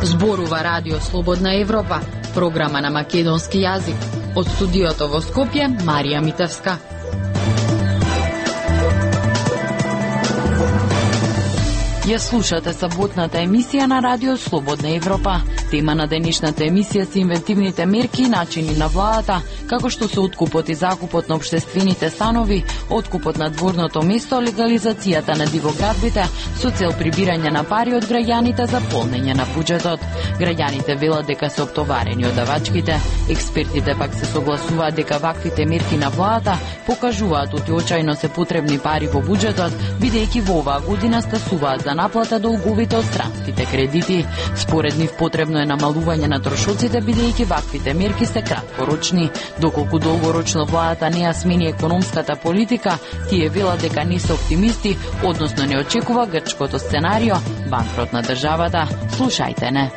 Зборува Радио Слободна Европа, програма на македонски јазик. Од студиото во Скопје, Марија Митевска. Ја слушате саботната емисија на Радио Слободна Европа. Тема на денешната емисија се инвентивните мерки и начини на владата, како што се откупот и закупот на општествените станови, откупот на дворното место, легализацијата на дивоградбите со цел прибирање на пари од граѓаните за полнење на буџетот. Граѓаните велат дека се оптоварени од давачките, експертите пак се согласуваат дека ваквите мерки на владата покажуваат очајно се потребни пари во буџетот, бидејќи во оваа година стасуваат за наплата долговите од странските кредити. Според нив потребно е намалување на трошоците, бидејќи ваквите мерки се краткорочни. Доколку долгорочно владата не ја смени економската политика, тие велат дека не се оптимисти, односно не очекува грчкото сценарио, банкрот на државата. Слушајте не.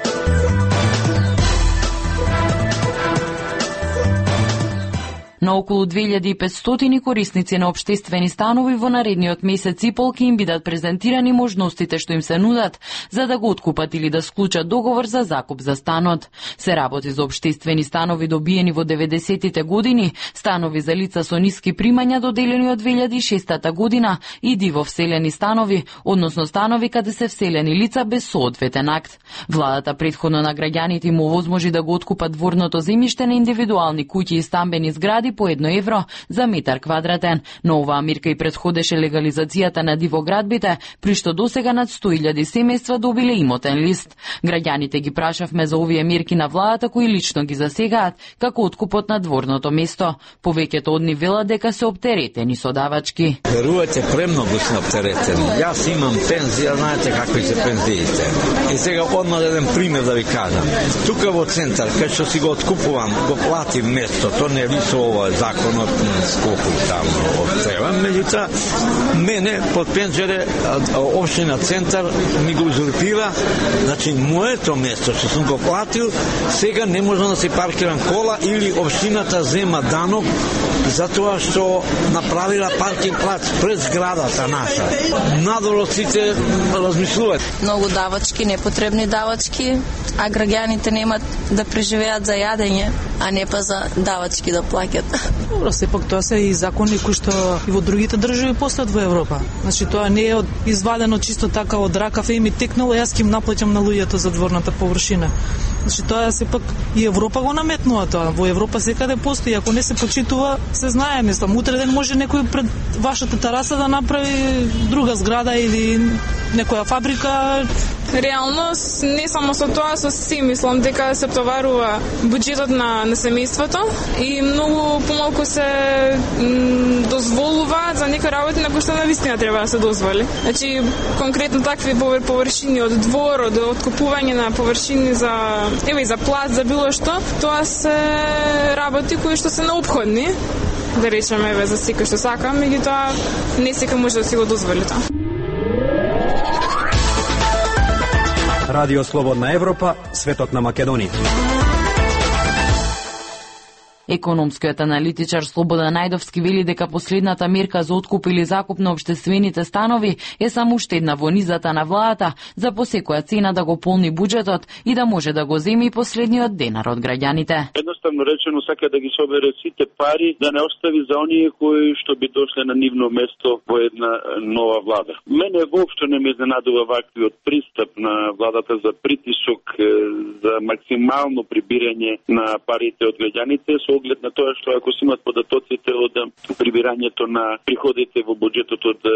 На околу 2500 корисници на општествени станови во наредниот месец и пол ќе им бидат презентирани можностите што им се нудат за да го откупат или да склучат договор за закуп за станот. Се работи за општествени станови добиени во 90-тите години, станови за лица со ниски примања доделени од 2006 година и диво вселени станови, односно станови каде се вселени лица без соодветен акт. Владата претходно на граѓаните им овозможи да го откупат дворното земјиште на индивидуални куќи и стамбени згради по 1 евро за метар квадратен, но оваа мирка и предходеше легализацијата на дивоградбите, при што досега над 100.000 семејства добиле имотен лист. Граѓаните ги прашавме за овие мерки на владата кои лично ги засегаат, како откупот на дворното место. Повеќето од нив велат дека се оптеретени со давачки. Верувате, премногу сме оптеретени. Јас имам пензија, знаете какви се пензиите. И сега одма еден пример да ви кажам. Тука во центар, кај што си го откупувам, го платим место, то не ви со ова законот сколку таму треба. Меѓутоа, мене под пенџере општина Центар ми го узурпира, значи моето место што сум го платил, сега не можам да се паркирам кола или општината зема данок затоа што направила паркинг плац пред зградата наша. Надолу сите размислуваат. Многу давачки, непотребни давачки, а граѓаните немат да преживеат за јадење, а не па за давачки да плаќат. Добро, сепак тоа се и закони кои што и во другите држави постојат во Европа. Значи тоа не е извадено чисто така од ракав и ми текнало, јас ќе им наплаќам на луѓето за дворната површина. Значи тоа сепак и Европа го наметнува тоа. Во Европа секаде постои, ако не се почитува, се знае, мислам, утре ден може некој пред вашата тераса да направи друга зграда или некоја фабрика. Реално, не само со тоа, со си мислам дека се товарува буџетот на семејството и многу помалку се дозволуваат за некои работи на кои што навистина треба да се дозволи. Значи, конкретно такви површини од двор, од откупување на површини за и за плац, за било што, тоа се работи кои што се неопходни, да речеме за секој што сака, меѓутоа не секој може да си го дозволи тоа. Радио Слободна Европа, светот на Македонија. Економскиот аналитичар Слободан Најдовски вели дека последната мерка за откуп или закуп на општествените станови е само уште една во низата на владата за по секоја цена да го полни буџетот и да може да го земи последниот денар од граѓаните. Едноставно речено сака да ги собере сите пари, да не остави за оние кои што би дошле на нивно место во една нова влада. Мене воопшто не ме изненадува ваквиот пристап на владата за притисок за максимално прибирање на парите од граѓаните со оглед на тоа што ако се имат податоците од прибирањето на приходите во буџетот од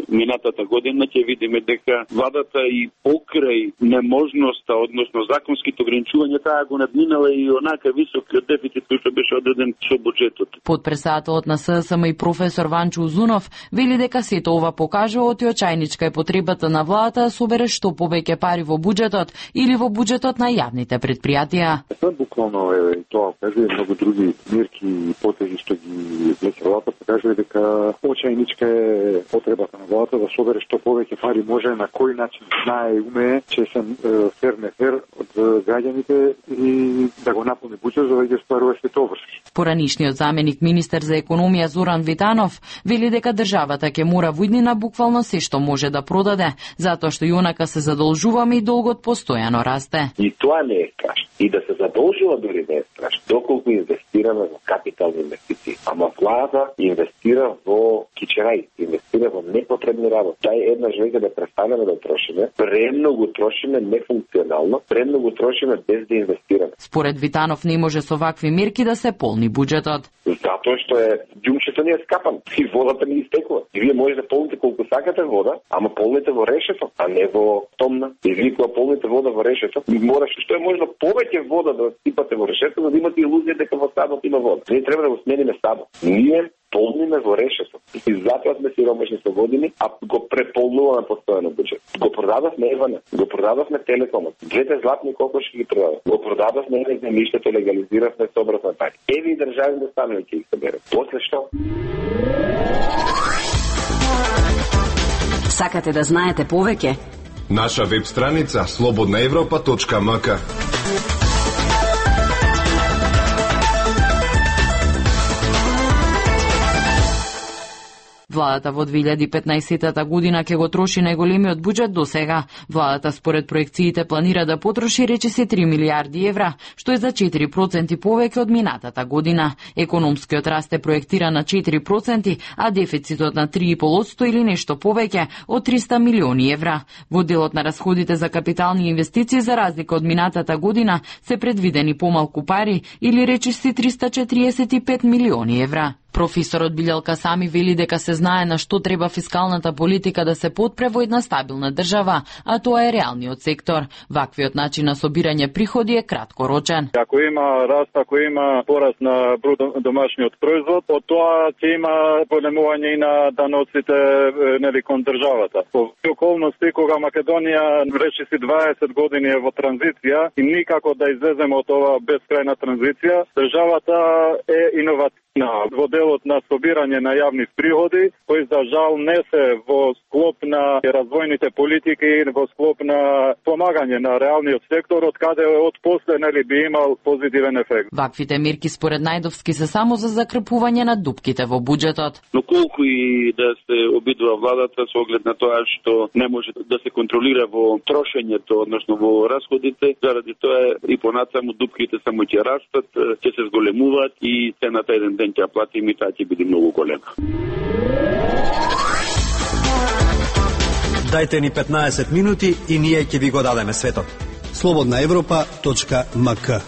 минатата година, ќе видиме дека владата и покрај неможноста, односно законските ограничувања, таа го надминала и онака високиот дефицит кој што беше одреден со буџетот. Подпредседателот на ССМ и професор Ванчо Узунов вели дека сето ова покажува оти очајничка е потребата на владата да собере што повеќе пари во буџетот или во буџетот на јавните претпријатија. Буквално е тоа, кажи многу други други мерки и потези што ги влече владата, покажува дека очајничка е потребата на владата да собере што повеќе пари може, на кој начин знае и умее, чесен фер не фер од граѓаните и да го наполни буџет за да ги стварува сето врски. Поранишниот заменик министер за економија Зоран Витанов вели дека државата ќе мора во иднина буквално се што може да продаде, затоа што јонака се задолжуваме и долгот постојано расте. И тоа не е страшно. И да се задолжува дори не е страшно. Доколку инвестираме во капитални инвестиции. Ама влада инвестира во кичерај, инвестира во непотребни работи. Тај еднаш веќе да престанеме да трошиме, премногу трошиме нефункционално, премногу трошиме без да инвестираме. Според Витанов не може со вакви мерки да се полни буџетот. Затоа што ѓумчето не е скапан и водата не истекува. И вие можете да полните колку сакате вода, ама полните во решето, а не во томна. И вие кога полните вода во решето, мораш што е можно повеќе вода да сипате во решето, за да имате илузија дека во садот има вода. Ние треба да го смениме садот. Ние полниме во решето. И затоа сме сиромашни со години, а го преполнуваме постојано буџет. Го продадовме Евана, го продадовме Телекомот. Двете златни кокошки ги продадовме. Го продадовме земјиштето, легализиравме собравме пари. Еви и државни станови ќе ги собере. После што? Сакате да знаете повеќе? Наша веб страница slobodnaevropa.mk. Владата во 2015 година ќе го троши најголемиот буџет до сега. Владата според проекциите планира да потроши речиси 3 милиарди евра, што е за 4% повеќе од минатата година. Економскиот раст е проектира на 4%, а дефицитот на 3,5% или нешто повеќе од 300 милиони евра. Во делот на расходите за капитални инвестиции за разлика од минатата година се предвидени помалку пари или речиси 345 милиони евра. Професорот Билјалка Сами вели дека се знае на што треба фискалната политика да се потпре во една стабилна држава, а тоа е реалниот сектор. Ваквиот начин на собирање приходи е краткорочен. Ако има раст, ако има пораст на бруто домашниот производ, од тоа ќе има големување и на даноците кон државата. Во околности кога Македонија речиси 20 години е во транзиција и никако да излеземе од ова бескрајна транзиција, државата е иновативна во делот на собирање на јавни приходи, кои за жал не се во склоп на развојните политики и во склоп на помагање на реалниот сектор, од каде од после би имал позитивен ефект. Ваквите мерки според Најдовски се само за закрпување на дупките во буџетот. Но колку и да се обидува владата со оглед на тоа што не може да се контролира во трошењето, односно во расходите, заради тоа и понатаму дупките само ќе растат, ќе се зголемуваат и цената еден ден ќе плати и таа ќе биде многу голема. Дајте ни 15 минути и ние ќе ви го дадеме светот. slobodnaevropa.mk.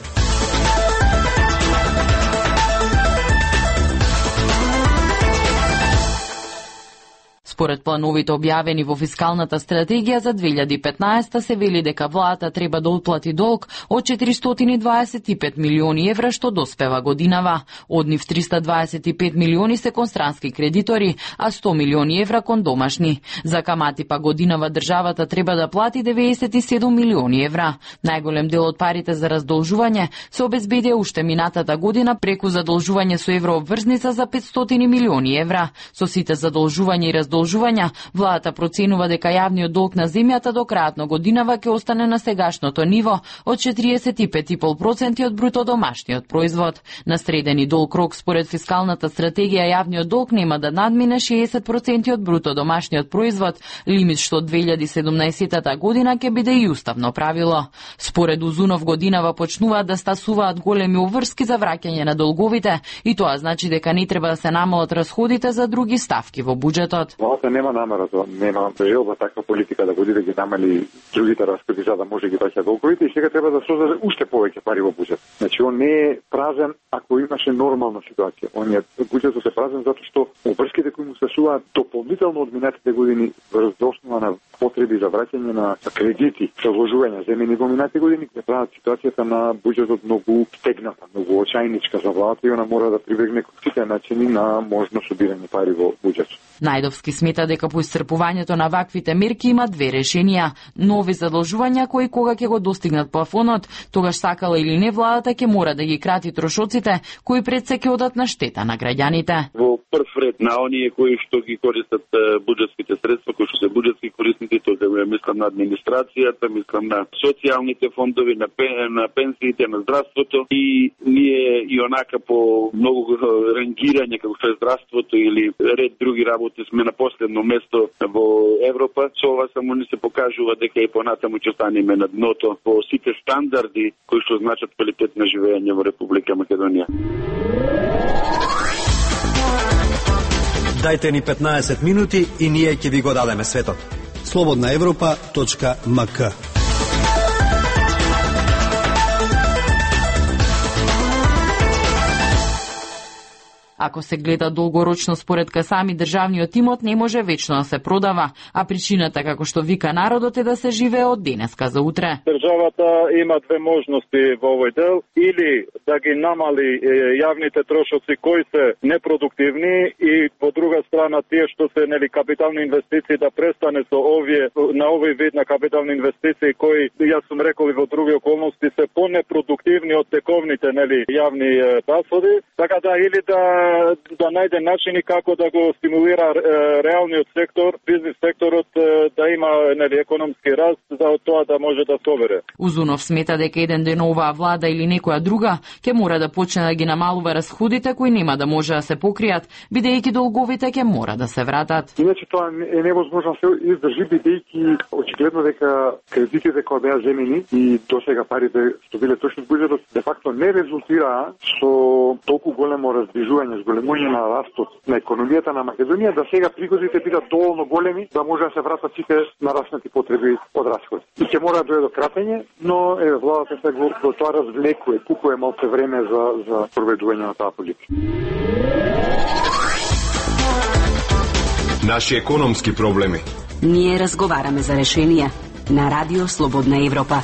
Според плановите објавени во фискалната стратегија за 2015 се вели дека владата треба да отплати долг од 425 милиони евра што доспева годинава. Од нив 325 милиони се кон странски кредитори, а 100 милиони евра кон домашни. За камати па годинава државата треба да плати 97 милиони евра. Најголем дел од парите за раздолжување се обезбедија уште минатата година преку задолжување со еврообврзница за 500 милиони евра. Со сите задолжувања и раздолжувања, владата проценува дека јавниот долг на земјата до крајот на годинава ќе остане на сегашното ниво од 45,5% од бруто домашниот производ. На средени долг рок според фискалната стратегија јавниот долг нема да надмине 60% од бруто домашниот производ, лимит што од 2017 година ќе биде и уставно правило. Според Узунов годинава почнуваат да стасуваат големи обврски за враќање на долговите и тоа значи дека не треба да се намалат расходите за други ставки во буџетот. Владата нема намера, нема желба таква политика да води да ги намали другите расходи за да може ги враќа долговите и сега треба да создаде уште повеќе пари во буџет. Значи он не е празен ако имаше нормална ситуација. Он е буџетот е празен затоа што обврските кои му стасуваат дополнително од минатите години врз основа на потреби за враќање на кредити, за вложувања земени во минатите години, ќе прават ситуацијата на буџетот многу стегната, многу очајничка за владата и она мора да прибегне кон сите начини на можно собирање пари во буџетот. Најдовски смета дека по исцрпувањето на ваквите мерки има две решенија: нов нови задолжувања кои кога ќе го достигнат плафонот, тогаш сакала или не владата ќе мора да ги крати трошоците кои пред се ќе одат на штета на граѓаните. Во прв ред на оние кои што ги користат буџетските средства, кои што се буџетски корисници, тоа мислам на администрацијата, мислам на социјалните фондови, на пенсиите, на здравството, и ние и онака по многу рангирање како што е здравството или ред други работи сме на последно место во Европа. Со ова само не се покажува дека и понатаму ќе станеме на дното по сите стандарди кои што значат квалитет на живење во Република Македонија. Дајте ни 15 минути и ние ќе ви го дадеме светот. slobodnaevropa.mk. Ако се гледа долгорочно според Касами, државниот имот не може вечно да се продава, а причината, како што вика народот, е да се живее од денеска за утре. Државата има две можности во овој дел, или да ги намали јавните трошоци кои се непродуктивни, и по друга страна тие што се капитални инвестиции да престане со на овој вид на капитални инвестиции кои, јас сум рекол и во други околности, се понепродуктивни од тековните јавни расходи, така да или да најде начини како да го стимулира реалниот сектор, бизнис секторот да има економски раст, за тоа да може да собере. Узунов смета дека еден ден оваа влада или некоја друга ќе мора да почне да ги намалува расходите кои нема да може да се покријат, бидејќи долговите ќе мора да се вратат. Иначе тоа е невозможно се издржи, бидејќи очигледно дека кредитите кои беа земени и досега парите што биле точно буџетот де факто не резултираа со толку големо раздвижување, зголемување на растот на економијата на Македонија, да сега приходите бидат доволно големи да може да се вратат сите нараснати потреби од расходи. И ќе мора да дојде до кратење, но владата се го тоа развлекува, купува малку време за проведување на таа политика. Наши економски проблеми. Ние разговараме за решенија на Радио Слободна Европа.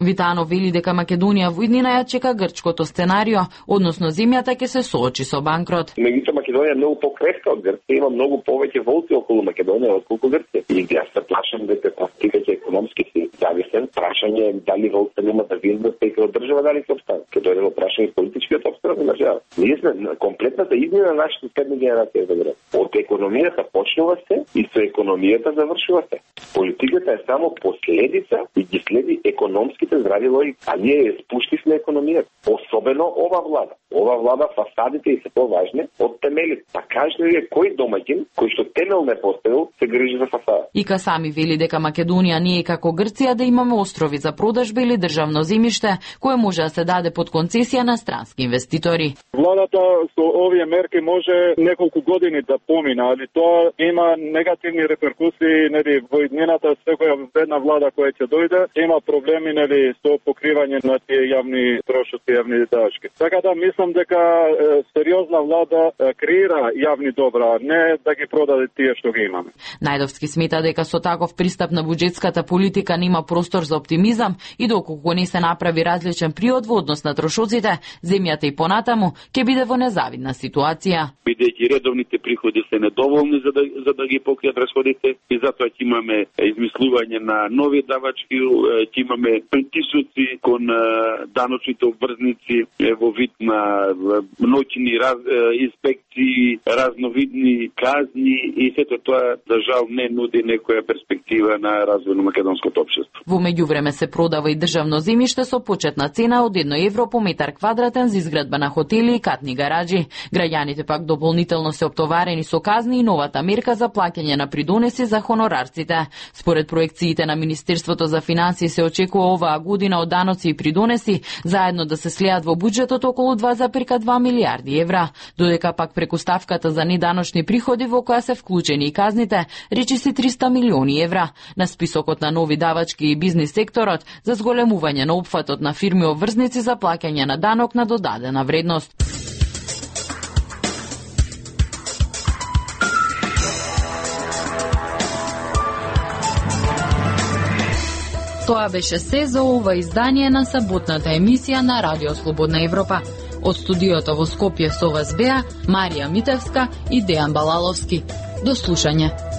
Витано вели дека Македонија во иднина ја чека грчкото сценарио, односно земјата ќе се соочи со банкрот. Меѓутоа Македонија е многу покрепка од Грција, има многу повеќе волци околу Македонија отколку Грција. И јас се плашам дека тактиката економски си зависен, прашање е дали волците нема да виндат преку држава, дали се обстан. Ке дојде во прашање политичкиот обстан на држава. Ние сме комплетната измена на нашите следни генерации за град. Од економијата почнува се и со економијата завршува се. Политиката е само последица и ги следи економските здрави логики, а ние ја спуштивме економијата. Особено ова влада. Ова влада фасадите и се поважни од темелите. Па кажете вие кој домаќин кој што темел не поставил се грижи за фасада. И Касами вели дека Македонија не е како Грција да имаме острови за продажба или државно земјиште кое може да се даде под концесија на странски инвеститори. Владата со овие мерки може неколку години да помина, али тоа има негативни реперкусии, во иднината секоја една влада која ќе дојде има проблеми со покривање на тие јавни трошоци, јавни давачки. Така да мислам дека сериозна влада креира јавни добра, не да ги продаде тие што ги имаме. Најдовски смета дека со таков пристап на буџетската политика нема простор за оптимизам и доколку не се направи различен приод во однос на трошоците, земјата и понатаму ќе биде во незавидна ситуација. Бидејќи редовните приходи се недоволни за да ги покријат расходите и затоа ќе имаме измислување на нови давачки, ќе имаме притисоци кон даночните обврзници во вид на ноќни инспекции, разновидни казни и сето тоа за жал не нуди некоја перспектива на развој на македонското општество. Во меѓувреме се продава и државно земјиште со почетна цена од 1 евро по метар квадратен за изградба на хотели и катни гараџи. Граѓаните пак дополнително се оптоварени со казни и новата мерка за плаќање на придонеси за хонорарците. Според проекциите на Министерството за финансии се очекува оваа година од даноци и придонеси заедно да се слеат во буџетот околу 2,2 милиарди евра, додека пак преку ставката за неданочни приходи во која се вклучени и казните, речиси 300 милиони евра. На списокот на нови давачки и бизнис секторот за зголемување на опфатот на фирми обврзници за плаќање на данок на додадена вредност. Тоа беше се за ова издание на саботната емисија на Радио Слободна Европа. Од студиото во Скопје со вас беа Марија Митевска и Дејан Балаловски. До слушање.